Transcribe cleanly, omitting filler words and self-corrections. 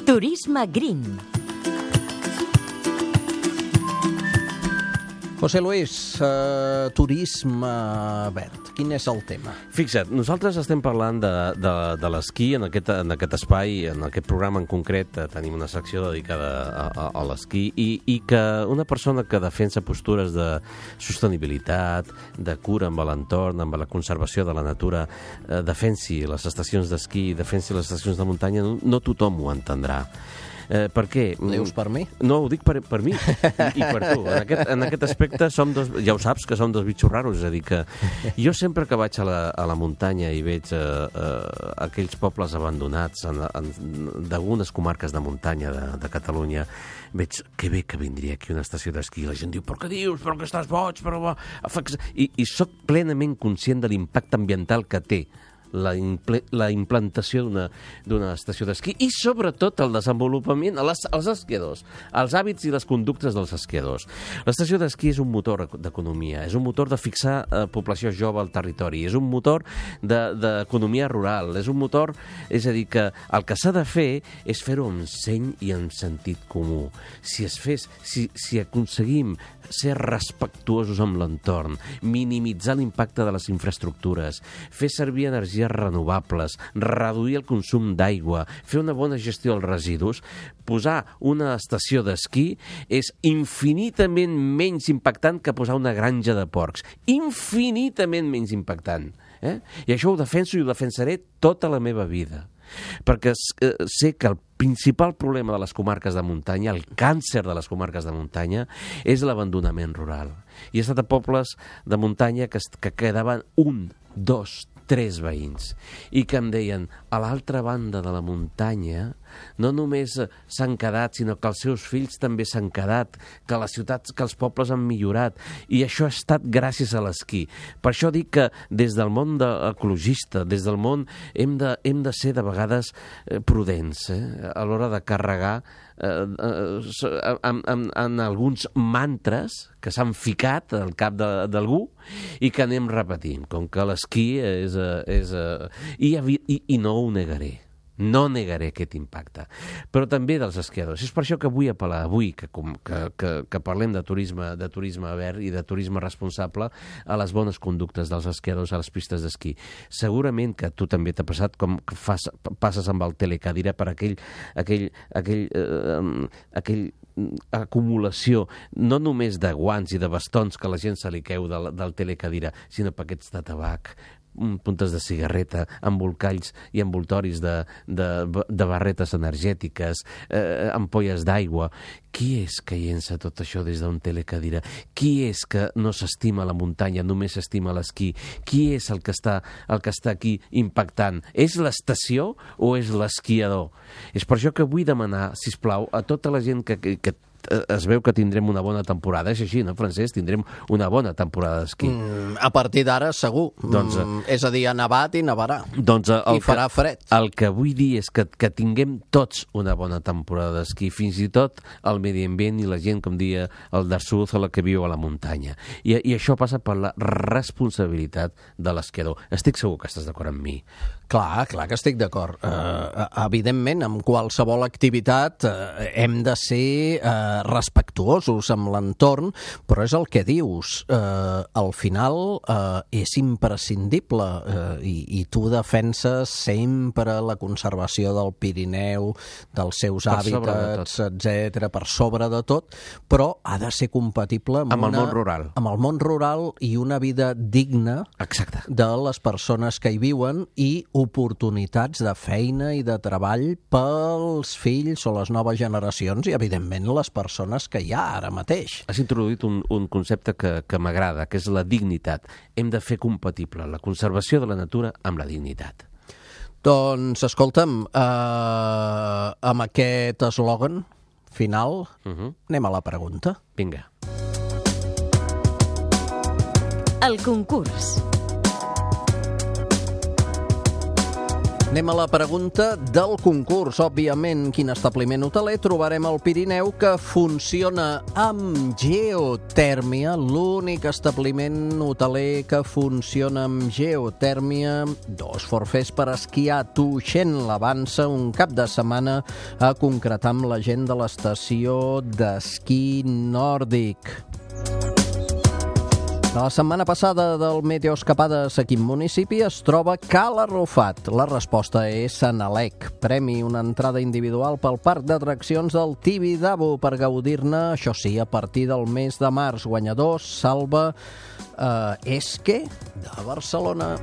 Turisme Green. José Luis, turisme verd, quin és el tema? Fixa't, nosaltres estem parlant de l'esquí en aquest espai, en aquest programa en concret. Tenim una secció dedicada a l'esquí i que una persona que defensa postures de sostenibilitat, de cura amb l'entorn, amb la conservació de la natura, defensi les estacions d'esquí, defensi les estacions de muntanya, no tothom ho entendrà. Per què? Ho dius per mi? No, ho dic per mi i per tu. En aquest aspecte som dos, ja ho saps, que som dos bitxos raros. És a dir, que jo sempre que vaig a la muntanya i veig aquells pobles abandonats d'algunes comarques de muntanya de Catalunya, veig que bé que vindria aquí una estació d'esquí. La gent diu, però què dius? Però que estàs boig? I soc plenament conscient de l'impacte ambiental que té la implantació d'una estació d'esquí i sobretot el desenvolupament als esquiadors, els hàbits i les conductes dels esquiadors. L'estació d'esquí és un motor d'economia, és un motor de fixar població jove al territori, és un motor d'economia rural, és un motor, és a dir, que el que s'ha de fer és fer-ho amb seny i amb sentit comú. Si aconseguim ser respectuosos amb l'entorn, minimitzar l'impacte de les infraestructures, fer servir energies renovables, reduir el consum d'aigua, fer una bona gestió dels residus, posar una estació d'esquí és infinitament menys impactant que posar una granja de porcs. Infinitament menys impactant. I això ho defenso i ho defensaré tota la meva vida. Perquè sé que el principal problema de les comarques de muntanya, el càncer de les comarques de muntanya, és l'abandonament rural. I he estat a pobles de muntanya que quedaven 1, 2, 3 veïns i que em deien, a l'altra banda de la muntanya no només s'han quedat, sinó que els seus fills també s'han quedat, que les ciutats, que els pobles han millorat, i això ha estat gràcies a l'esquí. Per això dic que des del món ecologista, des del món, hem de ser de vegades prudents a l'hora de carregar en alguns mantres que s'han ficat al cap d'algú i que anem repetint, com que l'esquí és... I no ho negaré. No negaré aquest impacte, però també dels esquiadors. És per això que vull apel·lar avui, que parlem de turisme verd i de turisme responsable, a les bones conductes dels esquiadors a les pistes d'esquí. Segurament que a tu també t'ha passat com que passes amb el telecadira per aquell acumulació, no només de guants i de bastons que la gent se li queu del telecadira, sinó paquets de tabac, puntes de cigarreta, embolcalls i envoltoris de barretes energètiques, ampolles d'aigua. Qui és que llença tot això des d'un telecadira? Qui és que no s'estima la muntanya, només s'estima l'esquí? Qui és el que està aquí impactant? És l'estació o és l'esquiador? És per això que vull demanar, sisplau, a tota la gent que es veu que tindrem una bona temporada. És així, no, Francesc? Tindrem una bona temporada d'esquí. A partir d'ara, segur. És a dir, ha nevat i nevarà. I farà fred. El que vull dir és que tinguem tots una bona temporada d'esquí, fins i tot el medi ambient i la gent, com dia el Darsuz, o la que viu a la muntanya. I això passa per la responsabilitat de l'esquiador. Estic segur que estàs d'acord amb mi. Clar que estic d'acord. Evidentment, amb qualsevol activitat hem de ser respectuosos amb l'entorn, però és el que dius. Al final és imprescindible i tu defenses sempre la conservació del Pirineu, dels seus hàbitats, etc., per sobre de tot, però ha de ser compatible amb el món rural. Amb el món rural i una vida digna de les persones que hi viuen i oportunitats de feina i de treball pels fills o les noves generacions i, evidentment, les persones que hi ha ara mateix. Has introduït un concepte que m'agrada, que és la dignitat. Hem de fer compatible la conservació de la natura amb la dignitat. Doncs, escolta'm, amb aquest eslògan final, anem a la pregunta. Vinga. El concurs. Anem a la pregunta del concurs. Òbviament, quin establiment hoteler trobarem al Pirineu que funciona amb geotèrmia? L'únic establiment hoteler que funciona amb geotèrmia. 2 forfets per esquiar a Tuixén l'Avança un cap de setmana a concretar amb la gent de l'estació d'esquí nòrdic. La setmana passada del Meteoescapades a quin municipi es troba Cala Arrufat? La resposta és Senalec. Premi, una entrada individual pel parc d'atraccions del Tibidabo per gaudir-ne, això sí, a partir del mes de març. Guanyador, Salva Esque, de Barcelona.